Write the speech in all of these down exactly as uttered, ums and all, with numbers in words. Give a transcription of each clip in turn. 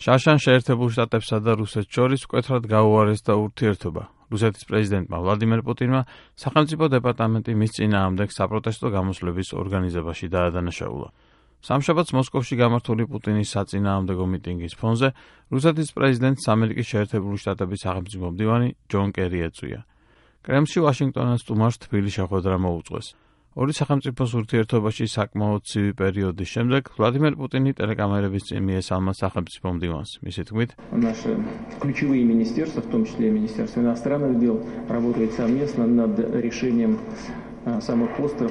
შაშან შეერთებულ შტატებსა და რუსეთს შორის მკვეთრად გაუარესდა ურთიერთობა. რუსეთის პრეზიდენტმა ვლადიმერ პუტინმა სახელმწიფო დეპარტამენტი მის წინააღმდეგ საპროტესტო გამოსვლების ორგანიზებაში დაადანაშაულა. სამშაბათს მოსკოვში გამართული პუტინის საწინააღმდეგო მიტინგის ფონზე რუსეთის პრეზიდენტს ამერიკის შეერთებული შტატების სახელმწიფო მდივანი ჯონ კერი ეწვია. კრემლში ვაშინგტონას სტუმარს თბილი შეხვედრა მოუწყვეს. ორი სახელმწიფოს ურთიერთობაში საკმაოდ ცივი პერიოდის შემდეგ ვლადიმერ პუტინი ტელეკამერების წინ მიესალმა სახელმწიფო მდივანს. მისი თქმით, Наши ключевые министерства, в том числе и Министерство иностранных дел, работают совместно над решением самых острых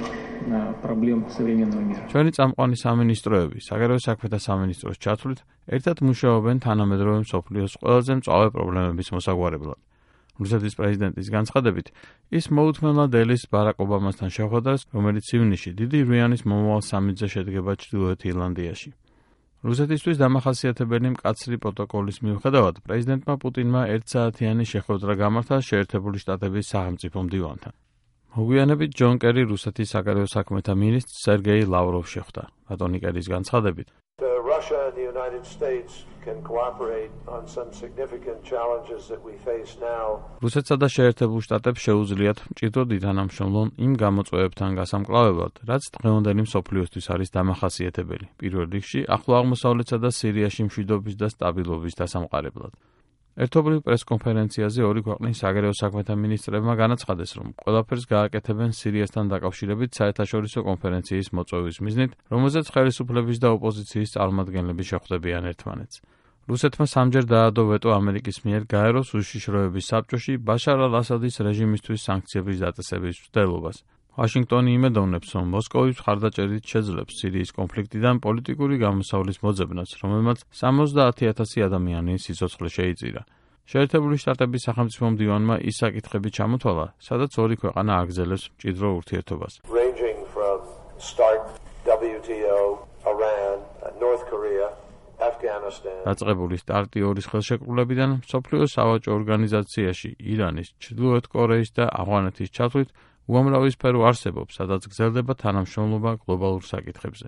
проблем современного мира. ჩვენი წამყვანი სამინისტროები, საგარეო საქმეთა სამინისტროს ჩათვლით, ერთად მუშაობენ თანამედროვე მსოფლიოს ყველაზე მწვავე პრობლემების მოსაგვარებლად. რუსეთის პრეზიდენტის განცხადებით, ის მოუთმენლა დელის ბარაკ ობამასთან შეხვედრას, რომელიც ივნისში დიდი რიანის მომავალ სამიტზე შედგება ჩრდილოეთ ირლანდიაში. რუსეთისთვის დამახასიათებელი მკაცრი პროტოკოლის მიუხედავად, პრეზიდენტმა პუტინმა ერთსაათიანი შეხვედრა გამართა შეერთებული შტატების სახელმწიფო მდივანთან. მოგვიანებით ჯონ კერი რუსეთის საგარეო საქმეთა მინისტრ სერგეი ლავროვს შეხვდა. ბატონი კერის განცხადებით, Russia and the United States can cooperate on some significant challenges that we face now. რუსეთსა და შეერთებულ შტატებს შეუძლიათ მჭიდროდ ითანამშრომლონ იმ გამოწვევებთან გასამკლავებლად, რაც დღევანდელი მსოფლიოსთვის არის დამახასიათებელი. პირველ რიგში ახლო აღმოსავლეთსა და სირიაში მშვიდობის და სტაბილობის დასამყარებლად. ერთობლივ პრესკონფერენციაზე ორი ქვეყნის საგარეო საქმეთა მინისტრებმა განაცხადეს, რომ ყველაფერს გააკეთებენ სირიასთან დაკავშირებით საერთაშორისო კონფერენციის მოწვევის მიზნით, რომელზეც ხელისუფლების და ოპოზიციის წარმომადგენლები შეხვდებიან ერთმანეთს. რუსეთმა სამჯერ დაადო ვეტო ამერიკის მიერ გაეროს უშიშროების საბჭოში ბაშარ ალ-ასადის რეჟიმისთვის სანქციების დაწესების მცდელობას. ვაშინგტონი იმედოვნებს, რომ მოსკოვის მხარდაჭერით შეძლებს სირიის კონფლიქტიდან პოლიტიკური გამოსავლის მოძებნას, რომელმაც სამოცდაათი ათასი ადამიანის სიცოცხლე შეიწირა. შეერთებული შტატების სახელმწიფო მდივანმა ის საკითხები ჩამოთვალა, სადაც ორი ქვეყანა აგრძელებს მჭიდრო ურთიერთობას. Ranging from START, W T O, Iran, North Korea, Afghanistan. დაწყებული სტარტი ორის ხელშეკრულებიდან მსოფლიოს სავაჭრო ორგანიზაციაში ირანის, ჩრდილოეთ კორეის და ავღანეთის ჩათვლით უამრავი სფერო არსებობს, სადაც გრძელდება თანამშრომლობა გლობალურ საკითხებზე.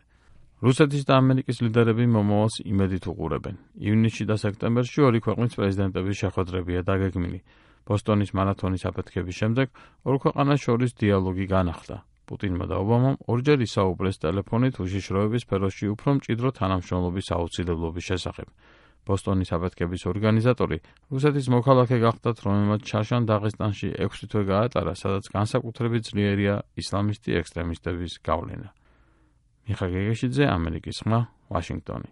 რუსეთის და ამერიკის ლიდერები მომავალს იმედით უყურებენ. ივნისში და სექტემბერში ორი ქვეყნის პრეზიდენტების შეხვედრებია დაგეგმილი. ბოსტონის მარათონის აფეთქების შემდეგ ორ ქვეყანას შორის დიალოგი განახლდა. პუტინმა და ობამამ ორჯერ ისაუბრეს ტელეფონით უშიშროების სფეროში უფრო მჭიდრო თანამშრომლობის აუცილებლობის შესახებ. ბოსტონის აფეთქების ორგანიზატორი რუსეთის მოქალაქე გახდათ, რომელმაც შაშან დაღესტანში ექვსი თვე გაატარა, სადაც განსაკუთრებით ძლიერია ისლამისტი ექსტრემისტების გავლენა. მიხა გეგეშიძე, ამერიკის ხმა, ვაშინგტონი.